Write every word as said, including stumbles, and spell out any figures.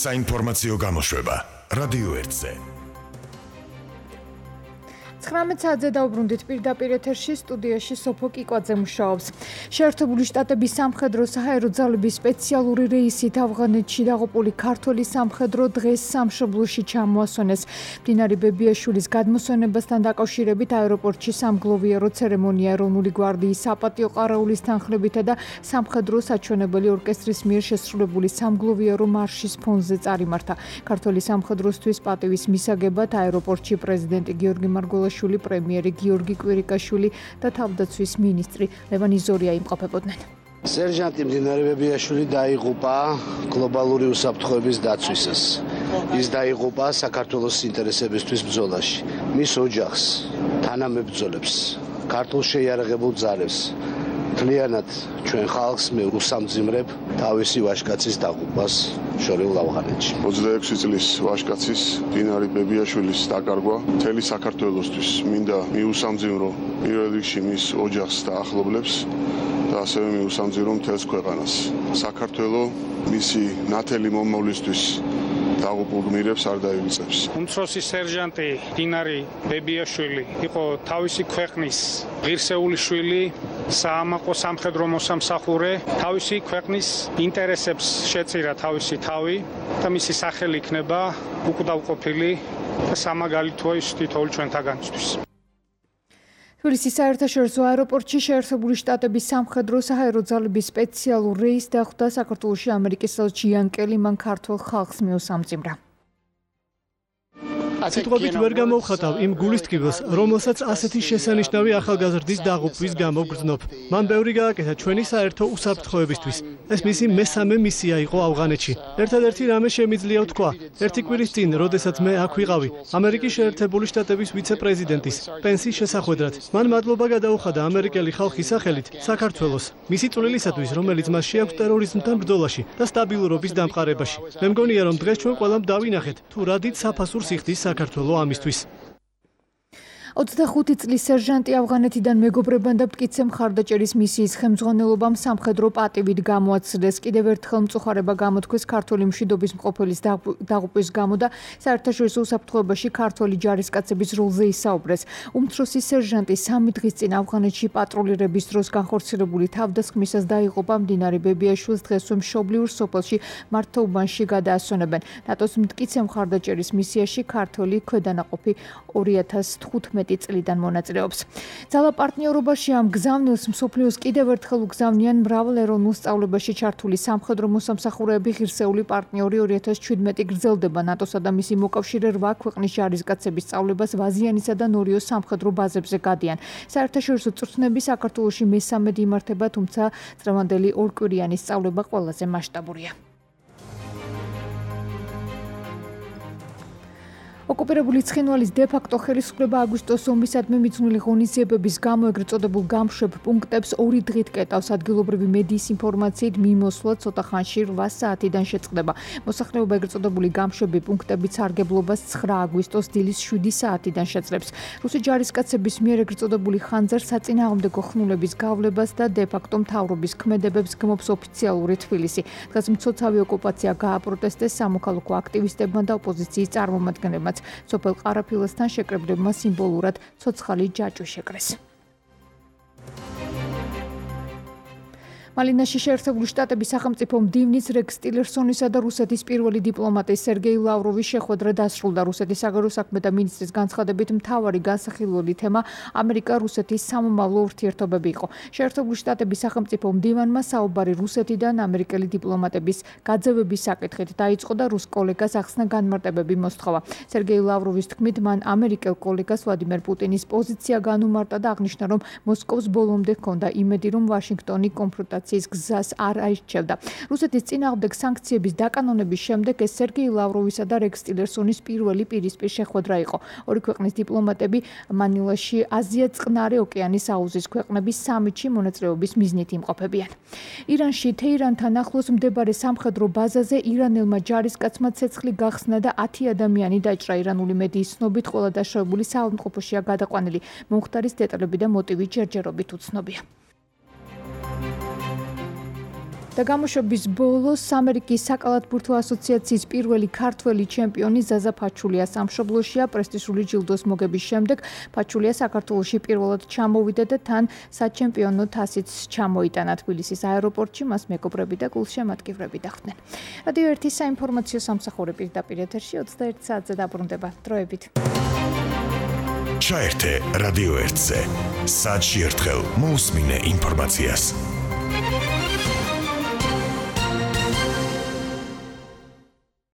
საინფორმაციო გამოშვება რადიო ერთზე. ცხრამეტ საათზე დავბრუნდით პირდაპირ ეთერში სტუდიაში სოფო კიკვაძე მუშაობს. შეერთებული შტატების სამხედრო საჰაერო ძალების სპეციალური რეისით ავღანეთში დაღუპული ქართველი სამხედრო დღეს სამშობლოში ჩამოასვენეს. მდინარე ბებიაშვილის გადმოსვენებასთან დაკავშირებით აეროპორტში სამგლოვიარო ცერემონია ეროვნული გვარდიის საპატიო ყარაულის თანხლებითა და სამხედრო საჩვენებელი ორკესტრის მიერ შესრულებული სამგლოვიარო მარშის ფონზე წარიმართა. ქართველი სამხედროსთვის პატივის მისაგებად აეროპორტში პრეზიდენტი გიორგი მარგველაშვილი, პრემიერი გიორგი კვირიკაშვილი და თავდაცვის მინისტრი ლევან იზორია იმყოფებოდნენ. სერჟანტი მდინარე ბებიაშვილი დაიღუპა გლობალური უსაფრთხოების დაცვისას. ის დაიღუპა საქართველოს ინტერესებისთვის ბრძოლაში. მის ოჯახს, თანამებრძოლებს, ქართულ შეიარაღებულ ძალებს, მთლიანად ჩვენ ხალხს მე უსამძიმრებ თავისი ვაჟკაცის დაღუპვას შორეულ ავღანეთში. ოცდაექვსი წლის ვაჟკაცის მდინარე ბებიაშვილის დაკარგვა მთელი საქართველოსთვის მინდა მიუსამძიმრო პირველ რიგში მის ოჯახს და ახლობლებს და ასევე მიუსამძიმრო მთელს ქვეყანას. საქართველოს მისი ნათელი მომავლისთვის დაღუპულ გმირებს არ დაივიწყებს. უმცროსი სერჟანტი მდინარე ბებიაშვილი იყო თავისი ქვეყნის ღირსეული შვილი, საამაყო სამხედრო მოსამსახურე, თავისი ქვეყნის ინტერესებს შეწირა თავისი თავი და მისი სახელი იქნება უკვდავყოფილი და სამაგალითოა ის თითოეულ ჩვენთაგანისთვის. თბილისის საერთაშორისო აეროპორტში შეერთებული შტატების სამხედრო საჰაერო ძალების სპეციალურ რეისს დახვდა საქართველოში ამერიკის ელჩი იან კელი, მან ქართველ ხალხს მიუსამძიმრა. სიტყვებით ვერ გამოვხატავ იმ გულისწყებას, რომელსაც ასეთი შესანიშნავი ახალგაზრდის დაღუპვის გამო გრძნობ. მან ბევრი გააკეთა ჩვენი საერთო უსაფრთხოებისთვის. ეს მისი მესამე მისია იყო ავღანეთში. ერთადერთი რამე შემიძლია ვთქვა, ერთი კვირის წინ, როდესაც მე აქ ვიყავი, ამერიკის შეერთებული შტატების ვიცე-პრეზიდენტის პენსის შესახვედრად, მან მადლობა გადაუხადა ამერიკელი ხალხის სახელით საქართველოს, მისი წვლილისათვის, რომელიც მას შეაქვს ტერორიზმთან ბრძოლაში და სტაბილურობის დამყარებაში. მე მგონია, რომ დღეს ჩვენ ყველამ დავინახეთ, თუ რა დიდ საფასურს იხდის საქართველოს ამისთვის. ოცდახუთი წლის სერჟანტი ავღანეთიდან მეგობრებთან და მტკიცე მხარდაჭერის მისიის ხელმძღვანელობამ სამხედრო პატივით გამოაცილეს. კიდევ ერთხელ მწუხარება გამოთქვეს ქართული მშვიდობის მყოფელის დაღუპვის გამო და საერთაშორისო უსაფრთხოებაში ქართული ჯარისკაცების როლზე ისაუბრეს. უმცროსი სერჟანტი სამი დღის წინ ავღანეთში პატრულირების დროს განხორციელებული თავდასხმისას დაიღუპა. მდინარე ბებიაშვილს დღესვე მშობლიურ სოფელში მართლობანში გადაასვენებენ. ნატოს მტკიცე მხარდაჭერის მისიაში ქართული ქვედანაყოფი ორი ათას თხუთმეტი წლიდან მონაწილეობს. ძალა პარტნიორობაში ამ გზავნილს მსოფლიოს კიდევ ერთხელ უგზავნიან მრავალ ეროვნულ სწავლებაში ჩართული სამხედრო მოსამსახურეები. ღირსეული პარტნიორი ორი ათას ჩვიდმეტი გრძელდება. ნატოსა და მისი მოკავშირე რვა ქვეყნის ჯარისკაცების სწავლებას ვაზიანისა და ნორიოს სამხედრო ბაზებზე გადიან. საერთაშორისო წვრთნები საქართველოში მესამედ იმართება, თუმცა წლევანდელი ორკვირიანი სწავლება ყველაზე მასშტაბურია. ოკუპირებული ცხინვალის დე-ფაქტო ხელისუფლება აგვისტოს ომისადმი მიძღვნილი ღონისძიებების გამო ეგრეთ წოდებულ გამშვებ პუნქტებს ორი დღით კეტავს. ადგილობრივი მედიის ინფორმაციით მიმოსვლა ცოტა ხანში რვა საათიდან შეწყდება. მოსახლეობა ეგრეთ წოდებული გამშვები პუნქტებით სარგებლობას ცხრა აგვისტოს დილის შვიდი საათიდან შეძლებს. რუსი ჯარისკაცების მიერ ეგრეთ წოდებული ხანძარ საწინააღმდეგო ხნულების გავლებას და დე-ფაქტო მთავრობის ქმედებებს გმობს ოფიციალური თბილისი. დღეს მცოცავი ოკუპაცია გააპროტესტეს სამოქალაქო აქტივისტებმა და ოპოზიციის წარმომადგენლებმა. სოფელ ყარაფილასთან შეკრებლებმა სიმბოლურად ცოცხალი ჯაჭვი შეკრეს. მალინაში შეერთებული შტატების სახელმწიფო მდივნის რეკს ტილერსონისა და რუსეთის პირველი დიპლომატის სერგეი ლავროვის შეხვედრა დასრულდა. რუსეთის საგარეო საქმეთა მინისტრის განცხადებით მთავარი განსახილველი თემა ამერიკა-რუსეთის სამომავლო ურთიერთობები იყო. შეერთებული შტატების სახელმწიფო მდივანმა საუბარი რუსეთიდან ამერიკელი დიპლომატების გაძევების საკითხით დაიწყო და რუს კოლეგას ახსნა განმარტებები მოსთხოვა. სერგეი ლავროვის თქმით, მან ამერიკელ კოლეგას ვლადიმერ პუტინის პოზიცია განუმარტა და აღნიშნა, რომ მოსკოვს ბოლომდე ჰქონდა იმედი, რომ ვაშინგტონი კონფრონტაციის გზას არ აირჩევდა. რუსეთის წინააღმდეგ სანქციების დაკანონების შემდეგ ეს სერგეი ლავროვისა და რეკს ტილერსონის პირველი პირისპირ შეხვედრა იყო. ორი ქვეყნის დიპლომატები მანილაში აზია-წყნარი ოკეანის აუზის ქვეყნების სამიტში მონაწილეობის მიზნით იმყოფებიან. ირანში თეირანთან ახლოს მდებარე სამხედრო ბაზაზე ირანელმა ჯარისკაცმა ცეცხლი გახსნა და ათი ადამიანი დაჭრა. ირანული მედიის ცნობით ყველა დაშავებული საავადმყოფოშია გადაყვანილი. მომხდარის დეტალები და მოტივი ჯერჯერობით უცნობია. და გამოშვების ბოლოს ამერიკის საკალათბურთო ასოციაციის პირველი ქართველი ჩემპიონი ზაზა ფაჩულია სამშობლოშია პრესტიჟული ჯილდოს მოგების შემდეგ ფაჩულია საქართველოში პირველად ჩამოვიდა და თან საჩემპიონო თასიც ჩამოიტანა თბილისის აეროპორტში მას მეგობრები და გულშემატკივრები დახვდნენ. რადიო ერთი საინფორმაციო სამსახური პირდაპირ ეთერში ოცდაერთ საათზე დაბრუნდება. დროებით. ჩაერთე რადიო ერთზე. საათში ერთხელ მოусმინე ინფორმაციას.